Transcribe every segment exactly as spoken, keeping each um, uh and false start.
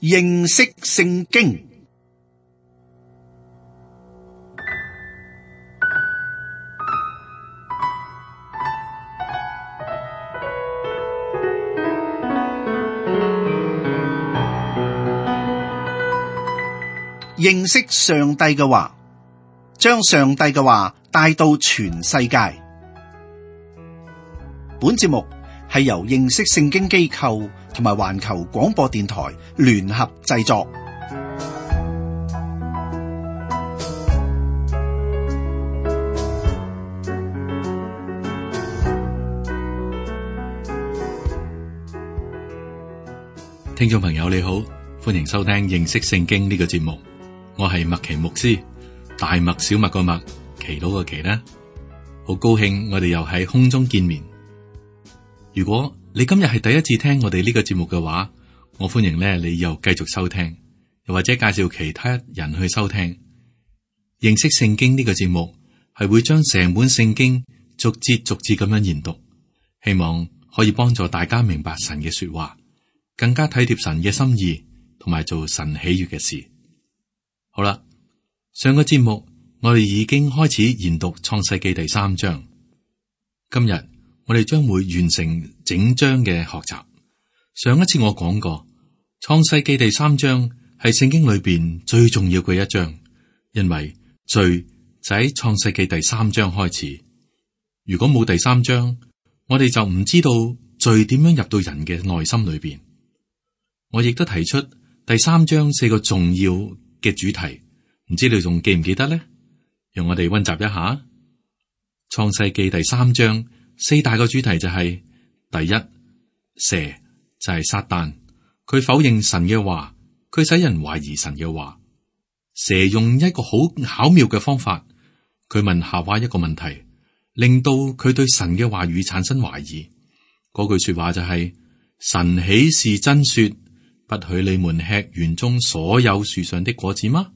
認識聖經。認識上帝嘅話，將上帝嘅話帶到全世界。本節目係由認識聖經機構同埋環球廣播電台聯合製作。聽眾朋友你好，歡迎收聽認識聖經呢個節目。我係麥奇牧師，大麥小麥個麥，祈禱個祈啦。好高興我哋又喺空中見面。如果你今日係第一次聽我哋呢個節目嘅話，我歡迎咧你又繼續收聽，又或者介紹其他人去收聽。認識聖經呢個節目係會將成本聖經逐節逐節咁樣研讀，希望可以幫助大家明白神嘅說話，更加體貼神嘅心意，同埋做神喜悅嘅事。好啦，上個節目我哋已經開始研讀創世記第三章，今日我哋將會完成整章嘅學習。上一次我講過，創世記第三章係聖經裏邊最重要嘅一章，因為罪就喺創世記第三章開始。如果冇第三章，我哋就唔知道罪點樣入到人嘅內心裏邊。我亦都提出第三章四個重要嘅主題，唔知你仲記唔記得呢？讓我哋溫習一下創世記第三章四大個主題就係、是、第一，蛇就係撒旦，佢否認神嘅話，佢使人懷疑神嘅話。蛇用一個好巧妙嘅方法，佢問夏娃一個問題，令到佢對神嘅話語產生懷疑。嗰句說話就係、是、神豈是真說，不許你們吃園中所有樹上的果子嗎？呢、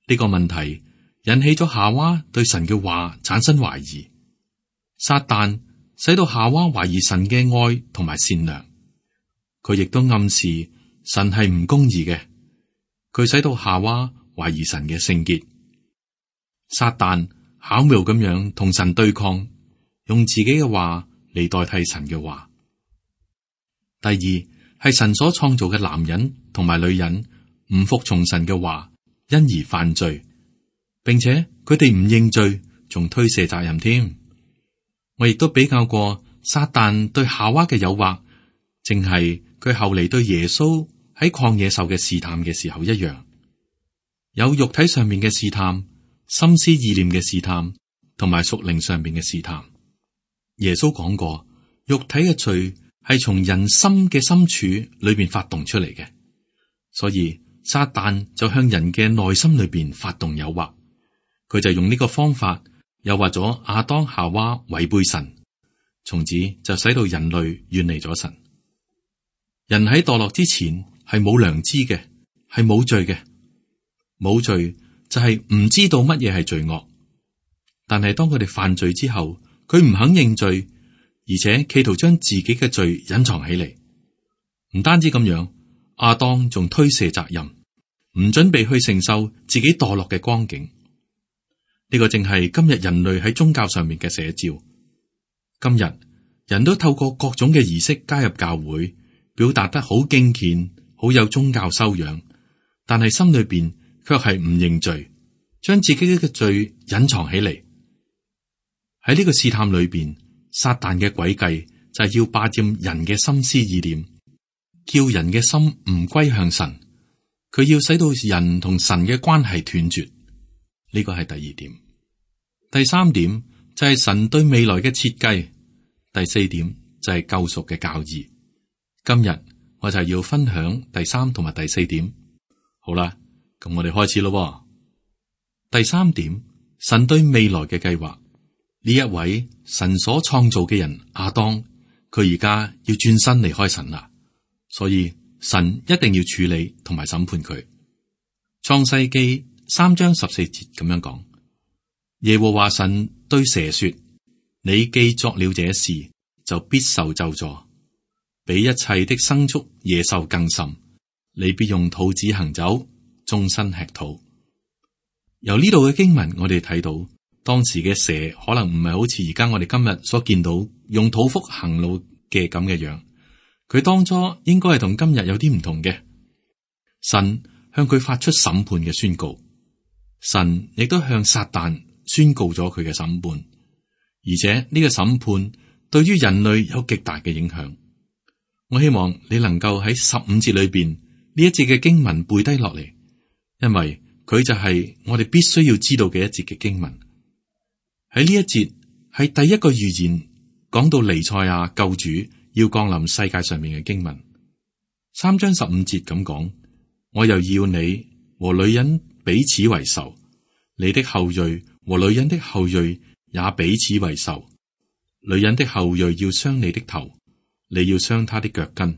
這個問題引起咗夏娃對神嘅話產生懷疑。撒旦使到夏娃懷疑神嘅愛同埋善良，佢亦都暗示神係唔公義嘅。佢使到夏娃懷疑神嘅聖潔。撒旦巧妙咁樣同神對抗，用自己嘅話嚟代替神嘅話。第二，係神所創造嘅男人同埋女人唔服從神嘅話，因而犯罪，並且佢哋唔認罪，仲推卸責任添。我亦都比較過撒旦對夏娃嘅誘惑，正係佢後嚟對耶穌喺曠野受嘅試探嘅時候一樣，有肉體上面嘅試探、心思意念嘅試探，同埋屬靈上面嘅試探。耶穌講過，肉體嘅罪係從人心嘅深處裏邊發動出嚟嘅，所以撒旦就向人嘅內心裏邊發動誘惑，佢就用呢個方法誘惑咗亞當夏娃違背神，從此就使到人類遠離咗神。人喺墮落之前係冇良知嘅，係冇罪嘅，冇罪就係唔知道乜嘢係罪惡。但係當佢哋犯罪之後，佢唔肯認罪，而且企圖將自己嘅罪隱藏起嚟。唔單止咁樣，亞當仲推卸責任，唔準備去承受自己墮落嘅光景。呢個正係今日人類喺宗教上面嘅寫照。今日人都透過各種嘅儀式加入教會，表達得好敬虔，好有宗教修養，但係心裏邊卻係唔認罪，將自己嘅罪隱藏起嚟。喺呢個試探裏邊，撒旦嘅詭計就係要霸佔人嘅心思意念，叫人嘅心唔歸向神。佢要使到人同神嘅關係斷絕。呢個係第二點。第三點就係神對未來嘅設計。第四點就係救贖嘅教義。今日我就要分享第三同埋第四點。好啦，咁我哋開始咯。第三點，神對未來嘅計劃。呢一位神所創造嘅人亞當，佢而家要轉身離開神啦，所以神一定要處理同埋審判佢。創世記三章十四節咁樣講，耶和華神對蛇說：你既作了這事，就必受咒詛，比一切的牲畜野獸更甚，你必用肚子行走，終身吃土。由呢度嘅經文，我哋睇到當時嘅蛇可能唔係好似而家我哋今日所見到用肚腹行路嘅咁嘅樣，佢當初應該係同今日有啲唔同嘅。神向佢發出審判嘅宣告，神亦都向撒旦宣告咗佢嘅審判，而且呢個審判對於人類有極大嘅影響。我希望你能夠喺十五節裏邊呢一節嘅經文背低落嚟，因為佢就係我哋必須要知道嘅一節嘅經文。喺呢一節係第一個預言講到彌賽亞救主要降臨世界上面嘅經文。三章十五節咁講，我又要你和女人彼此為仇，你的後裔和女人的後裔也彼此為仇。女人的後裔要傷你的頭，你要傷她的腳跟。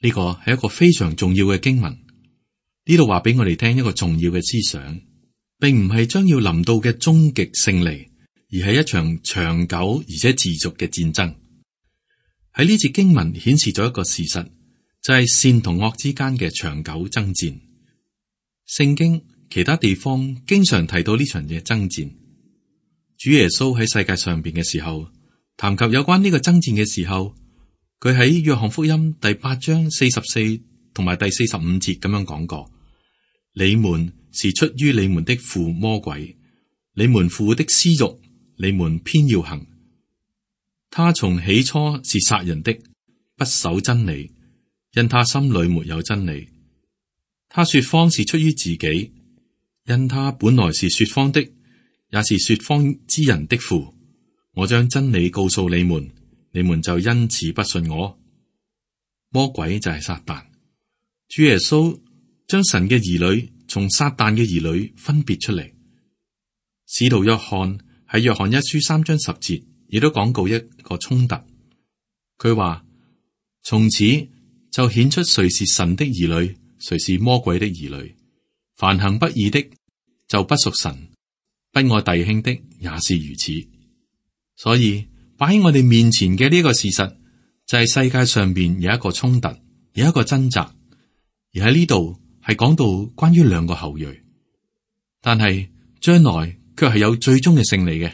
呢個係一個非常重要嘅經文。呢度話俾我哋聽一個重要嘅思想，並唔係將要臨到嘅終極勝利，而係一場長久而且持續嘅戰爭。喺呢節經文顯示咗一個事實，就係善同惡之間嘅長久爭戰。聖經其他地方經常提到呢場嘅爭戰。主耶穌喺世界上邊嘅時候，談及有關呢個爭戰嘅時候，佢喺約翰福音第八章四十四同埋第四十五節咁樣講過：你們是出於你們的父魔鬼，你們父的私欲，你們偏要行。他從起初是殺人的，不守真理，因他心裏沒有真理。他說謊是出於自己，因他本來是說謊的，也是說謊之人的父。我將真理告訴你們，你們就因此不信我。魔鬼就係撒旦。主耶穌將神嘅兒女從撒旦嘅兒女分別出嚟。使徒約翰喺約翰一書三章十節亦都講過一個衝突。佢話：從此就顯出誰是神的兒女，誰是魔鬼的兒女。凡行不義的就不屬神，不愛弟兄的也是如此。所以擺喺我哋面前嘅呢個事實，就係世界上邊有一個衝突，有一個掙扎。而喺呢度係講到關於兩個後裔，但係將來卻係有最終嘅勝利嘅。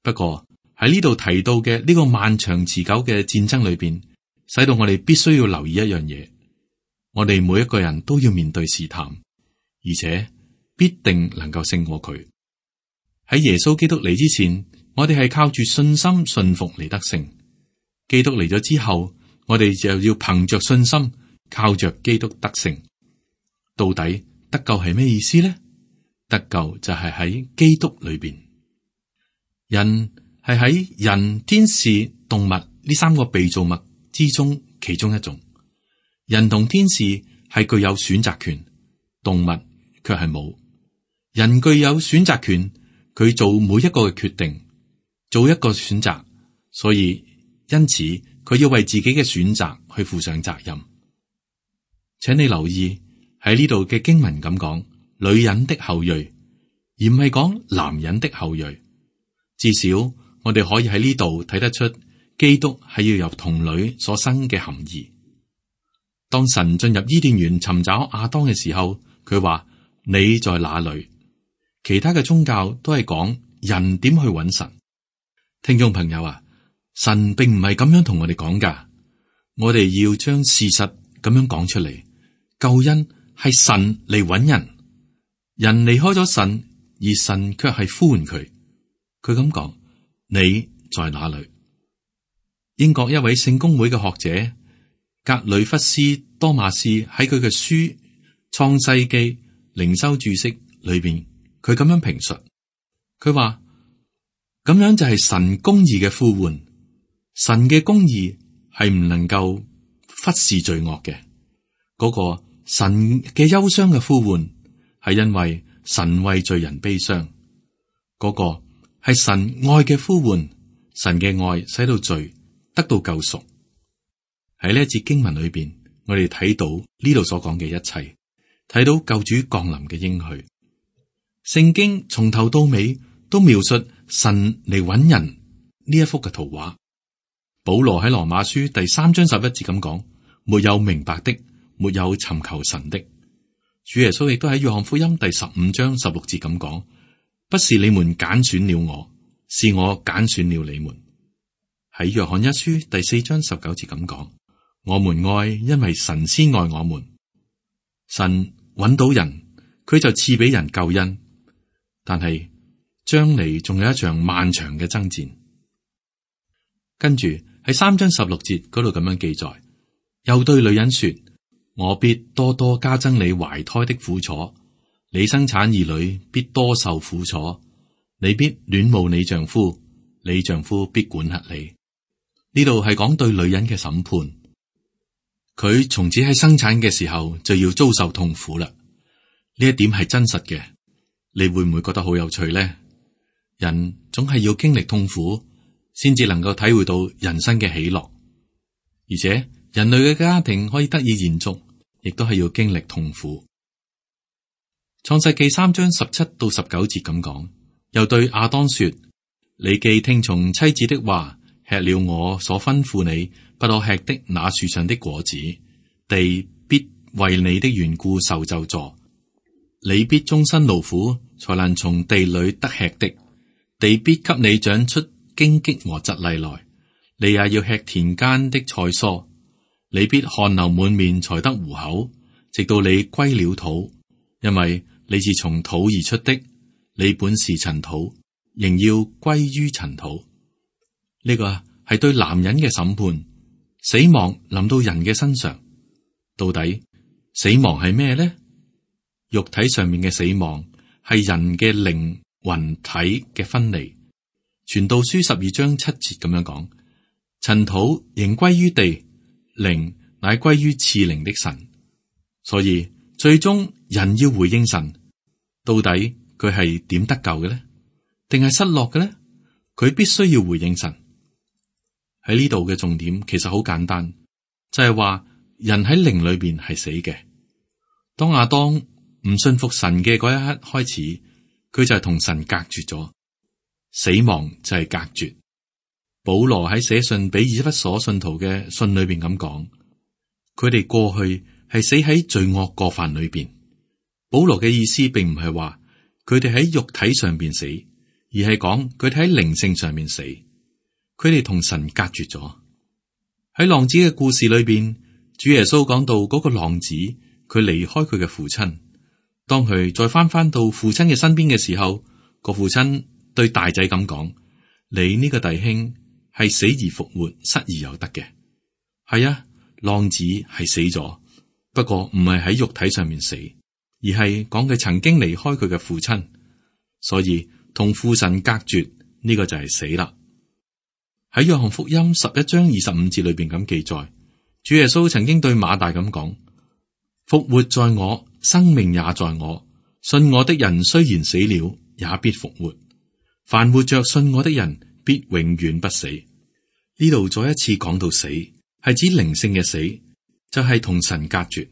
不過喺呢度提到嘅呢個漫長持久嘅戰爭裏邊，使到我哋必須要留意一樣嘢，我哋每一個人都要面對試探，而且必定能夠勝過佢。喺耶穌基督嚟之前，我哋係靠住信心信服嚟得勝。基督嚟咗之後，我哋就要憑着信心，靠着基督得勝。到底得救係咩意思呢？得救就係喺基督裏邊。人係喺人、天使、動物呢三個被造物之中其中一種。人同天使係具有選擇權，動物卻係冇。人具有選擇權，佢做每一個嘅決定，做一個選擇，所以因此佢要為自己嘅選擇去負上責任。請你留意喺呢度嘅經文咁講，女人的後裔，而唔係講男人的後裔。至少我哋可以喺呢度睇得出，基督係要由童女所生嘅含義。當神進入伊甸園尋找亞當嘅時候，佢話：你在哪裏？其他嘅宗教都係講人點去揾神。聽眾朋友啊，神並唔係咁樣同我哋講噶，我哋要將事實咁樣講出嚟。救恩係神嚟揾人，人離開咗神，而神卻係呼喚佢。佢咁講：你在哪裏？英國一位聖公會嘅學者格里弗斯多馬斯喺佢嘅書《創世記靈修注釋》裏邊，佢咁樣評述，佢話咁樣就係神公義嘅呼喚。神嘅公義係唔能夠忽視罪惡嘅。嗰個神嘅憂傷嘅呼喚係因為神為罪人悲傷。嗰個係神愛嘅呼喚，神嘅愛使到罪得到救贖。喺呢一節經文裏邊，我哋睇到呢度所講嘅一切，睇到救主降臨嘅應許。聖經從頭到尾都描述神嚟揾人呢一幅嘅圖畫。保羅喺羅馬書第三章十一節咁講：沒有明白的，沒有尋求神的。主耶穌亦都喺約翰福音第十五章十六節咁講：不是你們揀選了我，是我揀選了你們。喺約翰一書第四章十九節咁講：我們愛，因為神先愛我們。神揾到人，佢就賜俾人救恩。但係將嚟仲有一場漫長嘅爭戰。跟住喺三章十六節嗰度咁樣記載，又對女人說：我必多多加增你懷胎的苦楚，你生產兒女必多受苦楚，你必戀慕你丈夫，你丈夫必管轄你。呢度係講對女人嘅審判，佢從此喺生產嘅時候就要遭受痛苦啦。呢一點係真實嘅，你會唔會覺得好有趣呢？人總係要經歷痛苦，先至能夠體會到人生嘅喜樂。而且人類嘅家庭可以得以延續，亦都係要經歷痛苦。創世記三章十七到十九節咁講，又對亞當說：你既聽從妻子的話，吃了我所吩咐你不可吃的那樹上的果子，地必為你的緣故受咒詛，你必終身勞苦，才能從地裏得吃的。地必給你長出荊棘和蒺藜來，你也要吃田間的菜蔬。你必汗流滿面才得糊口，直到你歸了土，因為你是從土而出的，你本是塵土，仍要歸於塵土。呢個係對男人嘅審判，死亡臨到人嘅身上。到底死亡係咩呢？肉體上面嘅死亡係人嘅靈魂體嘅分離。傳道書十二章七節咁樣講：塵土仍歸於地，靈乃歸於賜靈的神。所以最終人要回應神，到底佢係點得救嘅呢？定係失落嘅呢？佢必須要回應神。喺呢度嘅重點其實好簡單，就係話人喺靈裏邊係死嘅。當亞當唔信服神嘅嗰一刻開始，佢就係同神隔絕咗，死亡就係隔絕。保羅喺寫信俾以弗所信徒嘅信裏邊咁講，佢哋過去係死喺罪惡過犯裏邊。保羅嘅意思並唔係話佢哋喺肉體上邊死，而係講佢哋喺靈性上面死。佢哋同神隔絕咗。喺浪子嘅故事裏邊，主耶穌講到嗰個浪子，佢離開佢嘅父親，當佢再翻翻到父親嘅身邊嘅時候，個父親對大仔咁講：你呢個弟兄係死而復活，失而有得嘅。係啊，浪子係死咗，不過唔係喺肉體上面死，而係講佢曾經離開佢嘅父親，所以同父神隔絕，呢個就係死啦。喺約翰福音十一章二十五節裏邊咁記載，主耶穌曾經對馬大咁講：復活在我，生命也在我，信我的人雖然死了，也必復活。凡活着信我的人，必永遠不死。呢度再一次講到死，係指靈性嘅死，就係、是、同神隔絕。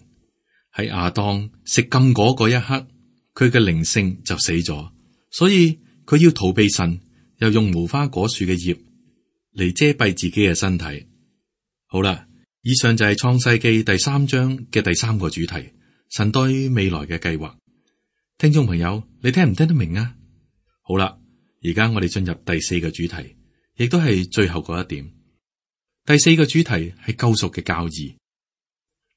喺亞當食禁果嗰一刻，佢嘅靈性就死咗，所以佢要逃避神，又用無花果樹嘅葉嚟遮蔽自己嘅身體。好啦，以上就係創世記第三章嘅第三個主題，神對未來嘅計劃。聽眾朋友，你聽唔聽得明啊？好啦，而家我哋進入第四個主題，亦都係最後嗰一點。第四個主題係救贖嘅教義。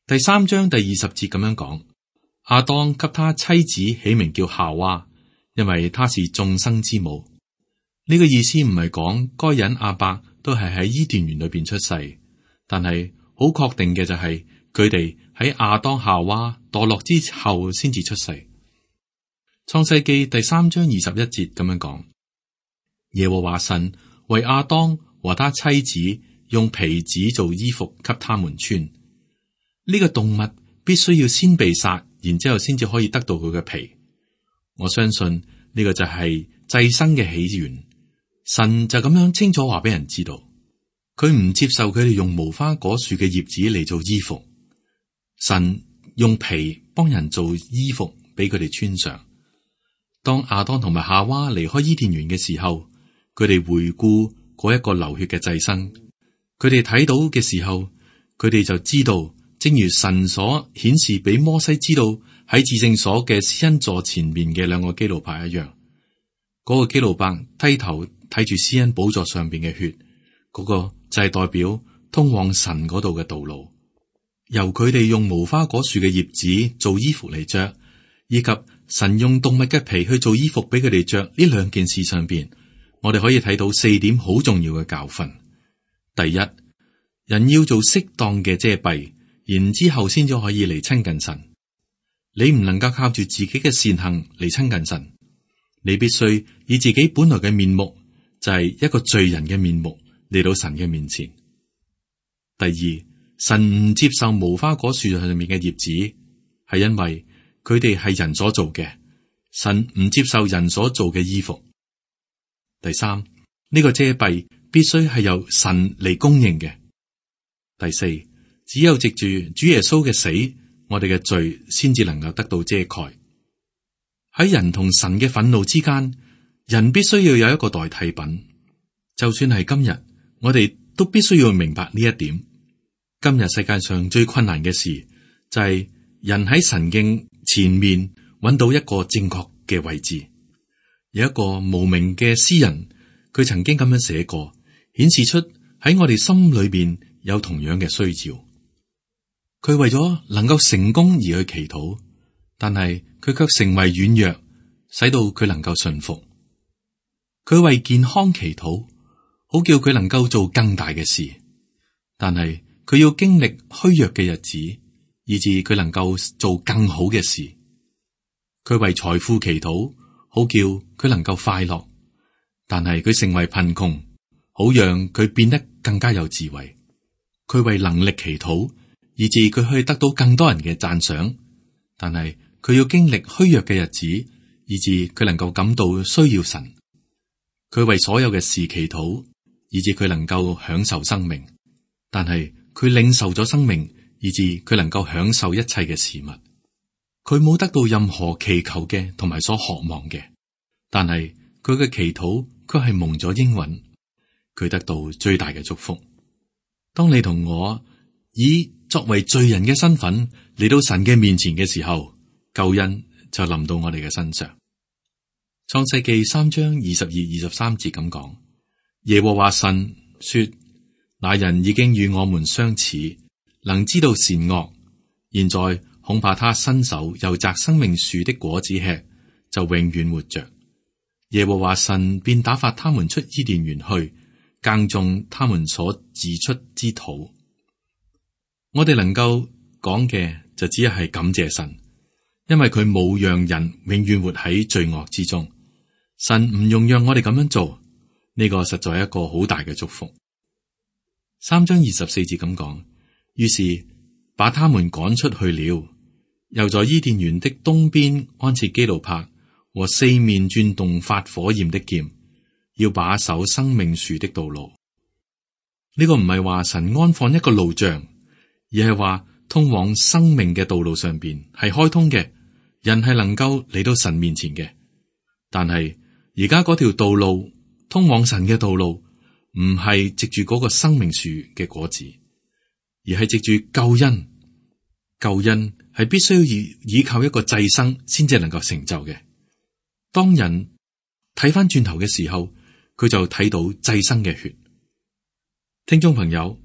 第三章第二十節咁樣講：亞當給他妻子起名叫夏娃，因為她是眾生之母。呢個意思唔係講該隱亞伯都係喺伊甸園裏邊出世，但係好確定嘅就係佢哋喺亞當夏娃墮落之後先至出世。創世記第三章二十一節咁樣講：耶和華神為亞當和他妻子用皮子做衣服給他們穿。呢、這個動物必須要先被殺，然之後先至可以得到佢嘅皮。我相信呢個就係祭牲嘅起源。神就咁樣清楚話俾人知道，佢唔接受佢哋用無花果樹嘅葉子嚟做衣服。神用皮幫人做衣服俾佢哋穿上。當亞當同埋夏娃離開伊甸園嘅時候，佢哋回顧嗰一個流血嘅祭牲，佢哋睇到嘅時候，佢哋就知道正如神所顯示俾摩西知道喺至聖所嘅施恩座前面嘅兩個基路伯一樣，嗰、那個基路伯低頭睇住施恩寶座上邊嘅血，嗰、那個就係代表通往神嗰度嘅道路。由佢哋用無花果樹嘅葉子做衣服嚟着，以及神用動物嘅皮去做衣服俾佢哋着，呢兩件事上邊，我哋可以睇到四點好重要嘅教訓。第一，人要做適當嘅遮蔽，然之後先至可以嚟親近神。你唔能夠靠住自己嘅善行嚟親近神，你必須以自己本來嘅面目，就係一個罪人嘅面目嚟到神嘅面前。第二，神唔接受無花果樹上面嘅葉子，係因為佢哋係人所做嘅，神唔接受人所做嘅衣服。第三，呢個遮蔽必須係由神嚟供應嘅。第四，只有藉住主耶穌嘅死，我哋嘅罪先至能夠得到遮蓋。喺人同神嘅憤怒之間，人必須要有一個代替品。就算係今日，我哋都必須要明白呢一點。今日世界上最困難嘅事，就係人喺神嘅前面揾到一個正確嘅位置。有一個無名嘅詩人，佢曾經咁樣寫過，顯示出喺我哋心裏邊有同樣嘅需要。佢為咗能夠成功而去祈禱，但係佢卻成為軟弱，使到佢能夠順服。佢為健康祈禱，好叫佢能夠做更大嘅事，但係佢要經歷虛弱嘅日子，以致佢能夠做更好嘅事。佢為財富祈禱，好叫佢能夠快樂，但係佢成為貧窮，好讓佢變得更加有智慧。佢為能力祈禱，以致佢可以得到更多人嘅讚賞，但係佢要經歷虛弱嘅日子，以致佢能夠感到需要神。佢為所有嘅事祈禱，以致佢能夠享受生命，但係佢領受咗生命，以致佢能夠享受一切嘅事物。佢冇得到任何祈求嘅同埋所渴望嘅，但係佢嘅祈禱卻係蒙咗應允，佢得到最大嘅祝福。當你同我以作為罪人嘅身份嚟到神嘅面前嘅時候，救恩就臨到我哋嘅身上。創世記三章二十二、二十三節咁講：耶和華神說，那人已經與我們相似，能知道善惡，現在恐怕他伸手由摘生命樹的果子吃，就永遠活着。耶和華神便打發他們出伊甸園去，耕種他們所自出之土。我哋能夠講嘅就只係感謝神，因為佢冇讓人永遠活喺罪惡之中。神唔用讓我哋咁樣做，呢個實在係一個好大嘅祝福。三章二十四節咁講，於是把他們趕出去了，又在伊甸園的東邊安設基路伯和四面轉動發火焰的劍，要把守生命樹的道路。呢個唔係話神安放一個路障，而係話通往生命嘅道路上邊係開通嘅，人係能夠嚟到神面前嘅。但係而家嗰條道路通往神嘅道路，唔係藉住嗰個生命樹嘅果子，而係藉住救恩。救恩係必須要依靠一個祭牲先至能夠成就嘅。當人睇翻轉頭嘅時候，佢就睇到祭牲嘅血。聽眾朋友，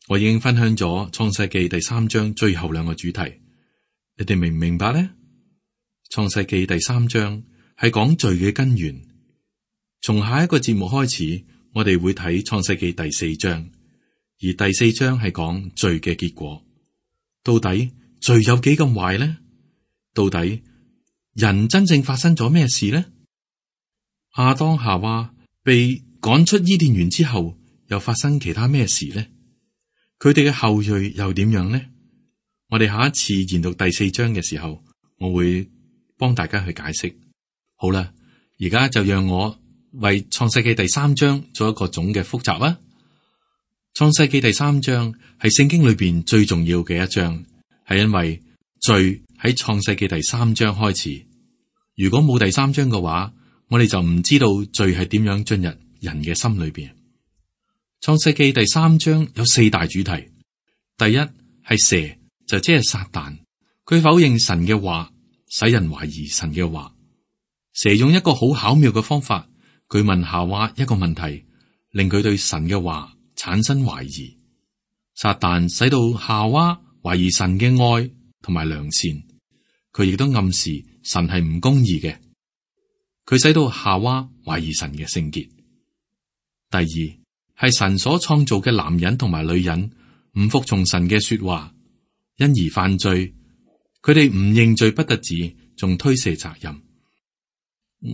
我已經分享咗創世記第三章最後兩個主題，你哋明唔明白呢？創世記第三章係講罪嘅根源。從下一個節目開始，我哋會睇創世記第四章，而第四章係講罪嘅結果。到底罪有幾咁壞呢？到底人真正發生咗咩事呢？亞當夏娃被趕出伊甸園之後，又發生其他咩事呢？佢哋嘅後裔又點樣呢？我哋下一次研讀第四章嘅時候，我會幫大家去解釋。好啦，而家就讓我為創世記第三章做一個總嘅複習啊！創世記第三章係聖經裏邊最重要嘅一章，係因為罪喺創世記第三章開始。如果冇第三章嘅話，我哋就唔知道罪係點樣進入人嘅心裏邊。創世記第三章有四大主題，第一係蛇就即係撒旦，佢否認神嘅話，使人懷疑神嘅話。蛇用一個好巧妙嘅方法，佢問夏娃一個問題，令佢對神嘅話產生懷疑。撒旦使到夏娃懷疑神嘅愛同埋良善，佢亦都暗示神係唔公義嘅。佢使到夏娃懷疑神嘅聖潔。第二係神所創造嘅男人同埋女人唔服從神嘅說話，因而犯罪。佢哋唔認罪不特止，仲推卸責任。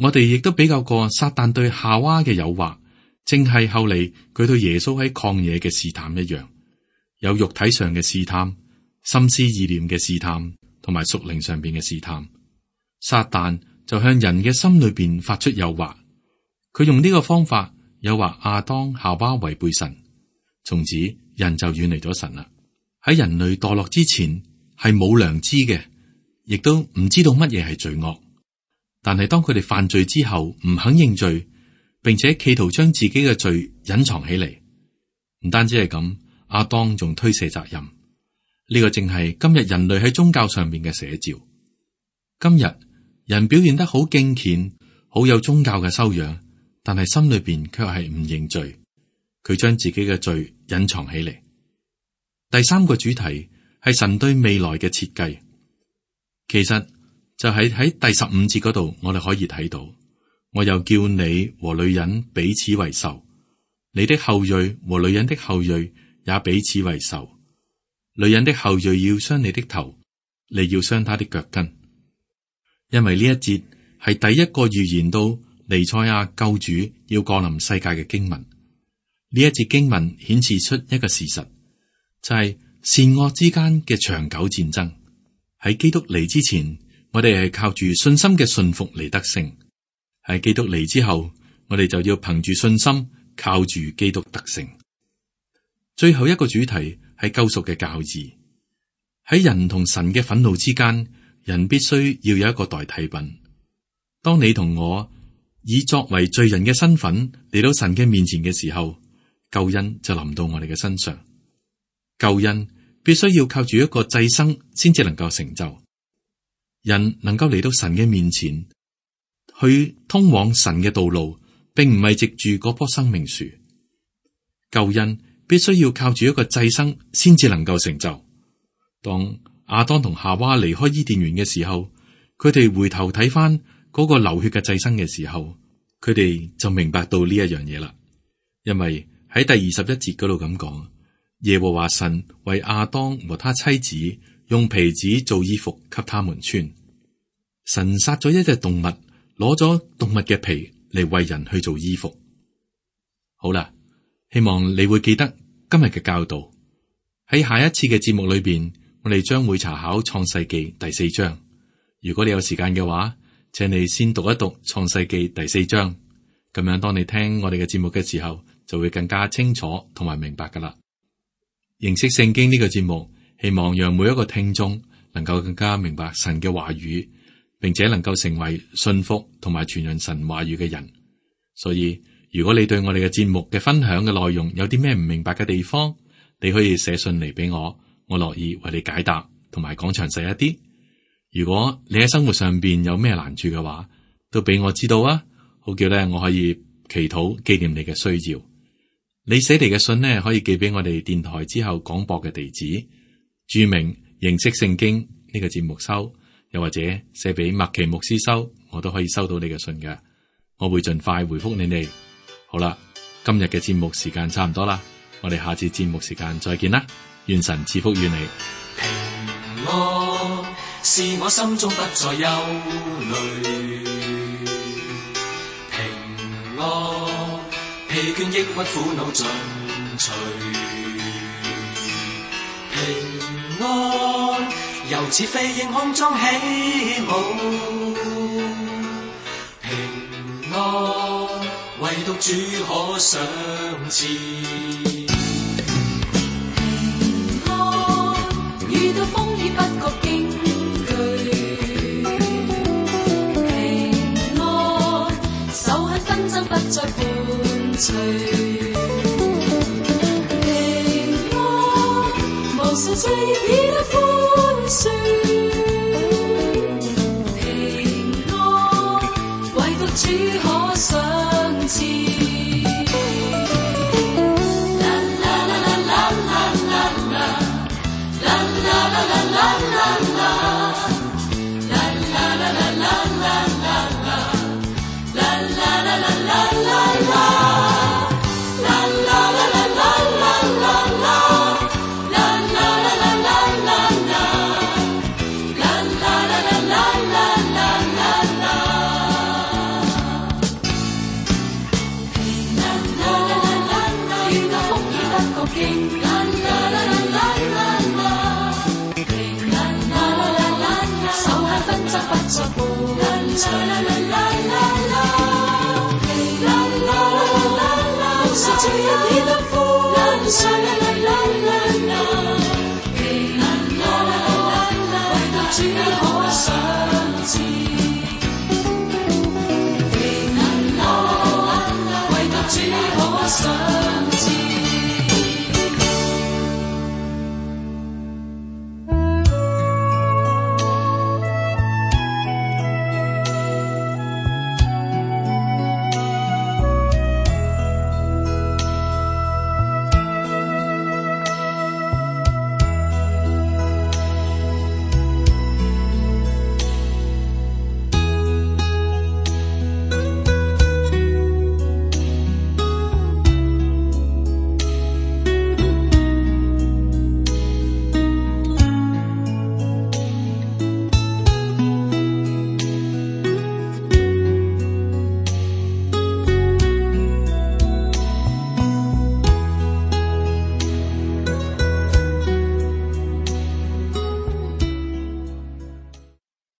我哋亦都比較過撒旦對夏娃嘅誘惑，正係後嚟佢對耶穌喺曠野嘅試探一樣，有肉體上嘅試探、心思意念嘅試探，同埋屬靈上邊嘅試探。撒旦就向人嘅心裏邊發出誘惑，佢用呢個方法誘惑亞當夏娃違背神，從此人就遠離咗神啦。喺人類墮落之前係冇良知嘅，亦都唔知道乜嘢係罪惡。但係當佢哋犯罪之後唔肯認罪，並且企圖將自己嘅罪隱藏起嚟，唔單止係咁，亞當仲推卸責任。呢個正係今日人類喺宗教上面嘅寫照。今日人表現得好敬虔，好有宗教嘅修養，但係心裏邊卻係唔認罪，佢將自己嘅罪隱藏起嚟。第三個主題係神對未來嘅設計，其實就係喺第十五節嗰度，我哋可以睇到，我又叫你和女人彼此為仇，你的後裔和女人的後裔也彼此為仇。女人的後裔要傷你的頭，你要傷她的腳跟。因為呢一節係第一個預言到彌賽亞救主要降臨世界嘅經文。呢一節經文顯示出一個事實，就係善惡之間嘅長久戰爭。喺基督嚟之前，我哋係靠住信心嘅信服嚟得勝；喺基督嚟之後，我哋就要憑住信心靠住基督得勝。最後一個主題係救贖嘅教義。喺人同神嘅憤怒之間，人必須要有一個代替品。當你同我以作為罪人嘅身份嚟到神嘅面前嘅時候，救恩就臨到我哋嘅身上。救恩必須要靠住一個祭牲先至能夠成就。人能夠嚟到神嘅面前，去通往神嘅道路，並唔係藉住嗰棵生命樹。救恩必須要靠住一個祭牲先至能夠成就。當亞當同夏娃離開伊甸園嘅時候，佢哋回頭睇翻嗰個流血嘅祭牲嘅時候，佢哋就明白到呢一樣嘢啦。因為喺第二十一節嗰度咁講，耶和華神為亞當和他妻子用皮子做衣服給他們穿。神殺咗一隻動物，攞咗動物嘅皮嚟為人去做衣服。好啦，希望你會記得今日嘅教導。喺下一次嘅節目裏邊，我哋將會查考創世記第四章。如果你有時間嘅話，請你先讀一讀創世記第四章，咁樣當你聽我哋嘅節目嘅時候，就會更加清楚同埋明白噶啦。認識聖經呢個節目，希望讓每一個聽眾能夠更加明白神嘅話語，並且能夠成為信服同埋傳揚神話語嘅人。所以如果你對我哋嘅節目嘅分享嘅內容有啲咩唔明白嘅地方，你可以寫信嚟俾我，我樂意為你解答同埋講詳細一啲。如果你喺生活上邊有咩難處嘅話，都俾我知道啊，好叫咧我可以祈禱紀念你嘅需要。你寫嚟嘅信呢，可以寄俾我哋電台之後廣播嘅地址，注明認識聖經呢個節目收，又或者寫俾麥奇牧師收，我都可以收到你嘅信嘅。我會盡快回覆你哋。好啦，今日嘅節目時間差唔多啦，我哋下次節目時間再見啦，願神賜福於你。平安是我心中不再憂慮，平安疲倦抑鬱苦惱盡除，平安由似飛鷹空中起舞，平安唯獨主可賞賜。平安遇到風雨不覺驚懼，平安仇恨紛爭不再伴隨，平安無數罪孽彼得呼長，啦啦啦啦啦，啦啦啦啦，無數主一起得歡唱，啦啦啦啦啦，啦啦啦啦，唯獨主可想。